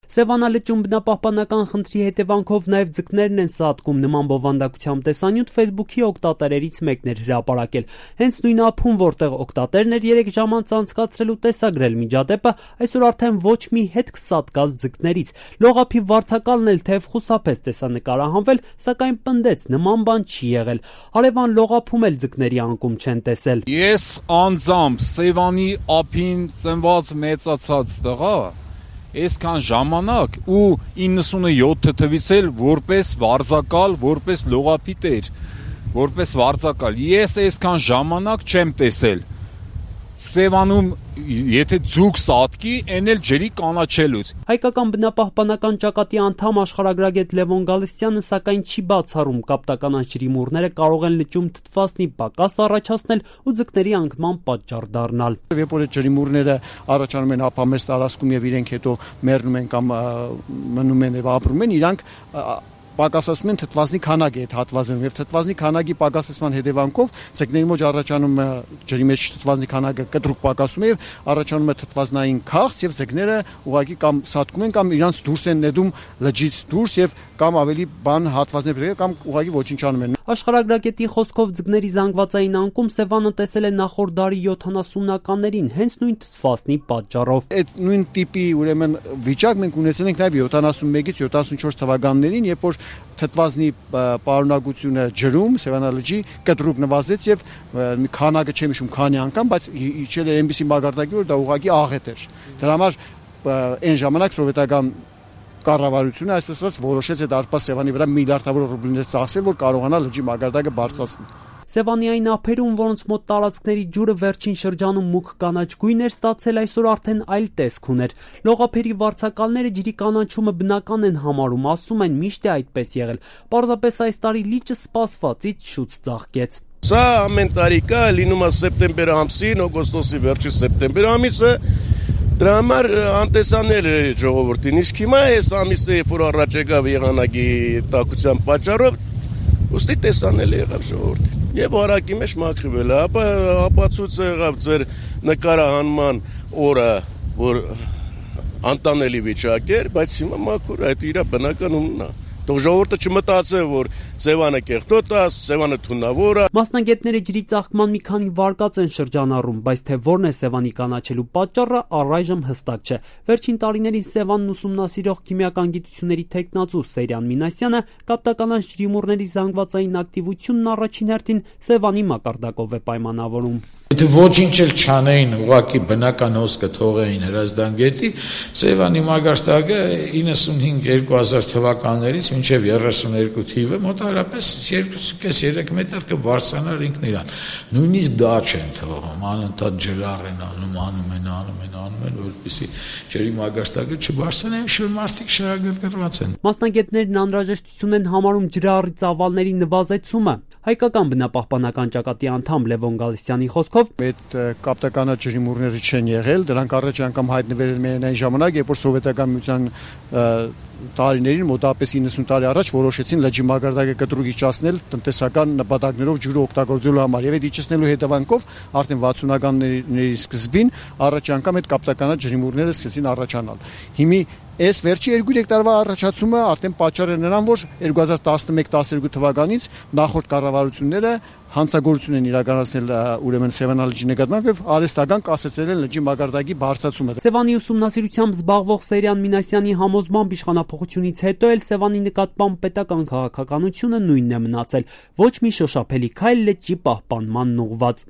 Սևանա լճում բնապահպանական խնդրի հետևանքով նաև ձկներն են սատկում։ Նման բովանդակությամբ տեսանյութ Facebook-ի օգտատերերից մեկն էր հրապարակել։ Հենց նույն ափում, որտեղ օգտատերն էր 3 ժամ անց անցկացրել ու տեսագրել միջադեպը, այսօր արդեն ոչ մի հետք սատկած ձկներից։ Լողափի վարձակալն էլ թեև խուսափեց տեսանկարահանվել, սակայն պնդեց նման բան չի եղել։ Հարևան լողափում էլ ձկների անկում չեն տեսել։ Ես անձամբ Սևանի ափին ծնված մեծացած տղա, այսքան ժամանակ ու 97 թվից էլ որպես վարձակալ, որպես լողափի տեր, որպես վարձակալ, ես այսքան ժամանակ չեմ տեսել Սևանում, եթե ձուկ սատկի, այն էլ ջրի կանաչելուց։ Հայկական բնապահպանական ճակատի անդամ աշխարհագրագետ Լևոն Գալստյանը սակայն չի բացառում կապտականանց ջրիմուռները կարող են լճում թթվասնի պակաս առաջացնել ու ձկների անկման պատճառ դառնալ։ Երբ որ ջրիմուռները առաջանում են ափամերձ տարածքում եւ իրենք հետո մեռնում են կամ մնում են եւ ապրում են, իրանք պակասացում են թթվասնի քանակի այդ հատվածում եւ թթվասնի քանակի պակասեցման հետևանքով ձկների մեջ առաջանում է ջրի մեջ թթվասնի քանակը կտրուկ պակասում է եւ առաջանում է թթվասնային քաղց եւ ձկները ուղղակի կամ սատկում են կամ իրանց դուրս են նետում լճից դուրս եւ կամ ավելի բան հատվածներ պետք է կամ ուղղակի ոչնչանում են։ Աշխարհագրագետի խոսքով ձկների զանգվածային անկում Սևանը տեսել է նախորդ դարի 70-ականներին հենց նույն թթվասնի պատճառով։ Այդ նույն տիպի ուրեմն վիճակ մենք ունեցել ենք նաեւ 71-ից 74 թվականներին, երբ որ թթվասնի պարունակությունը ջրում Սևանա լճի կտրուկ նվազեց եւ քանակը չեմ հիշում քանի անգամ, բայց իջել էր այնպիսի մակարդակի, որ դա ուղղակի աղետ էր։ Դրա համար այն ժամանակ սովետական կառավարությունը այսպես ասած որոշեց այդ Արփա Սևանի վրա միլիարդավոր ռուբլիներ ծախսել, որ կարողանա լճի մակարդակը բարձրացնել։ Սևանի այն ափերում, որոնց մոտ տարածքների ջուրը վերջին շրջանում մուգ կանաչ գույն էր ստացել, այսօր արդեն այլ տեսք ուներ։ Լողափերի վարձակալները ջրի կանաչումը բնական են համարում, ասում են միշտ է այդպես եղել։ Պարզապես այս տարի լիճը սպասվածից շուտ ծաղկեց։ Սա ամեն տարի կա, լինում է սեպտեմբեր ամսին, օգոստոսի վերջին սեպտեմբեր ամիսը։ Դրա համար անտեսանել է ժողովրդին, իսկ հիմա այս ամիսը, երբ որ առաջ եկավ եղանակի տաքության պատճառով, ուստի տեսանել եղավ ժողովրդին։ Եվ հարակի մեջ մաքրվել է, ապա ապացույց եղավ ձեր նկարահանման օրը, որ անտանելի վիճակ էր, բայց հիմա մաքուր է, այդ իր բնական ունն է։ Թող ժողովուրդը չմտածե, որ Սևանը կեղտոտ է, Սևանը թունավոր է։ Մասնագետները ջրի ծաղկման մի քանի վարկած են շրջանառում, բայց թե որն է Սևանի կանաչելու պատճառը առայժմ հստակ չէ։ Վերջին տարիներին Սևանն ուսումնասիրող քիմիական գիտությունների թեկնածու Սերյան Մինասյանը կապտականանց ջրիմուռների զանգվածային ակտիվությունն առաջին հերթին Սևանի մակարդակով է պայմանավորում։ Եթե ոչինչ էլ չանեին, ուղղակի բնական հոսքը թողեին Հրազդան գետի, Սևանի մակարդակը 95-2000 թվականներից մինչև 32 թիվը մոտավորապես 2.5-3 մետր կբարձրանար ինքն իրան։ Նույնիսկ դա չեն թողում, անընդհատ ջրառ են անում, որպեսզի ջրի մակարդակը չբարձրանա, շուտ մարդիկ շահագրգռված են։ Մասնագետներն անհրաժեշտություն են համարում ջրառի ծավալների նվազեցումը։ Հայկական բնապահպանական ճակատի անդամ Լևոն Գալստյանի խոսքով այդ կապտականա ջրիմուռները չեն եղել, դրանք առաջ անգամ հայտնվել են միայն այն ժամանակ, երբ որ սովետական միության տարիներին մոտավորապես 90 տարի առաջ որոշեցին լճի մակարդակը կտրուկ իջեցնել տնտեսական նպատակներով ջուրը օգտագործելու համար եւ այդ իջեցնելու հետևանքով արդեն 60-ականների սկզբին առաջ անգամ այդ կապտականա ջրիմուռները սկսեցին առաջանալ։ Հիմի այս վերջի 2-3 տարվա առաջացումը արդեն պատճառ է նրան, որ 2011-12 թվականից նախորդ կառավարությունները հանցագործություն են իրականացնել ուրեմն Սևանա լճի նկատմամբ եւ արհեստական կասեցել են լճի մակարդակի բարձրացումը։ Սևանի ուսումնասիրությամբ զբաղվող Սերյան Մինասյանի համոզմամբ իշխանափոխությունից հետո էլ Սևանի նկատմամբ պետական քաղաքականությունը նույնն է մնացել։ Ոչ մի շոշափելի քայլ լճի պահպանման ուղղված։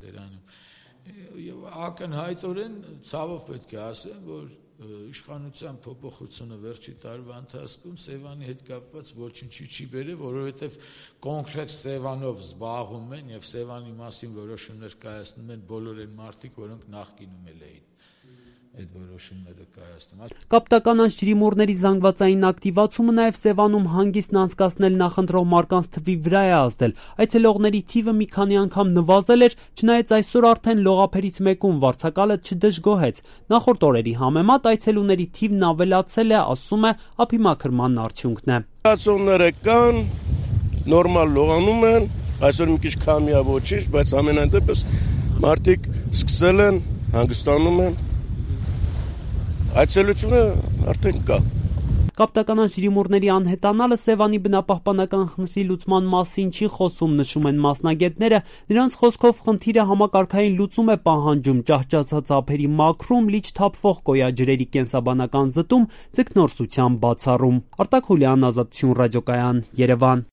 Եվ ակնհայտորեն ցավով պետք է ասեմ, որ իշխանության փոփոխությունը վերջի տարվա ընթացքում Սևանի հետ կապված ոչինչի չի բերել, որովհետև կոնկրետ Սևանով զբաղվում են եւ Սևանի մասին որոշումներ կայացնում են բոլոր այն մարդիկ, որոնք նախկինում էին այդ որոշումները կայացնում։ Կապտականանց ջրիմուռների զանգվածային ակտիվացումը նաև Սևանում հանգիստն անցկացնել նախընտրող մարդկանց թվի վրա է ազդել։ Այցելողների թիվը մի քանի անգամ նվազել էր, չնայած այսօր արդեն լողափերից մեկում վարձակալը չդժգոհեց։ Նախորդ օրերի համեմատ այցելուների թիվն ավելացել է, ասում է, ափի մաքրման արդյունքն է։ Լողացողները կան, նորմալ լողանում են, այսօր մի քիչ քամի է ոչինչ, բայց ամենայն դեպս մարդիկ սկսել են, հանգստանում են։ Այցելությունը արդեն կա։ Կապտականան ջրիմուռների անհետանալը Սևանի բնապահպանական խնդրի լուծման մասին չի խոսում, նշում են մասնագետները։ Նրանց խոսքով խնդիրը համակարգային լուծում է պահանջում, ճահճացած ափերի մաքրում, լիճ թափվող կոյաջրերի կենսաբանական զտում, ձկնորսության բացառում։ Արտակ Հուլյան, Ազատություն ռադիոկայան, Երևան։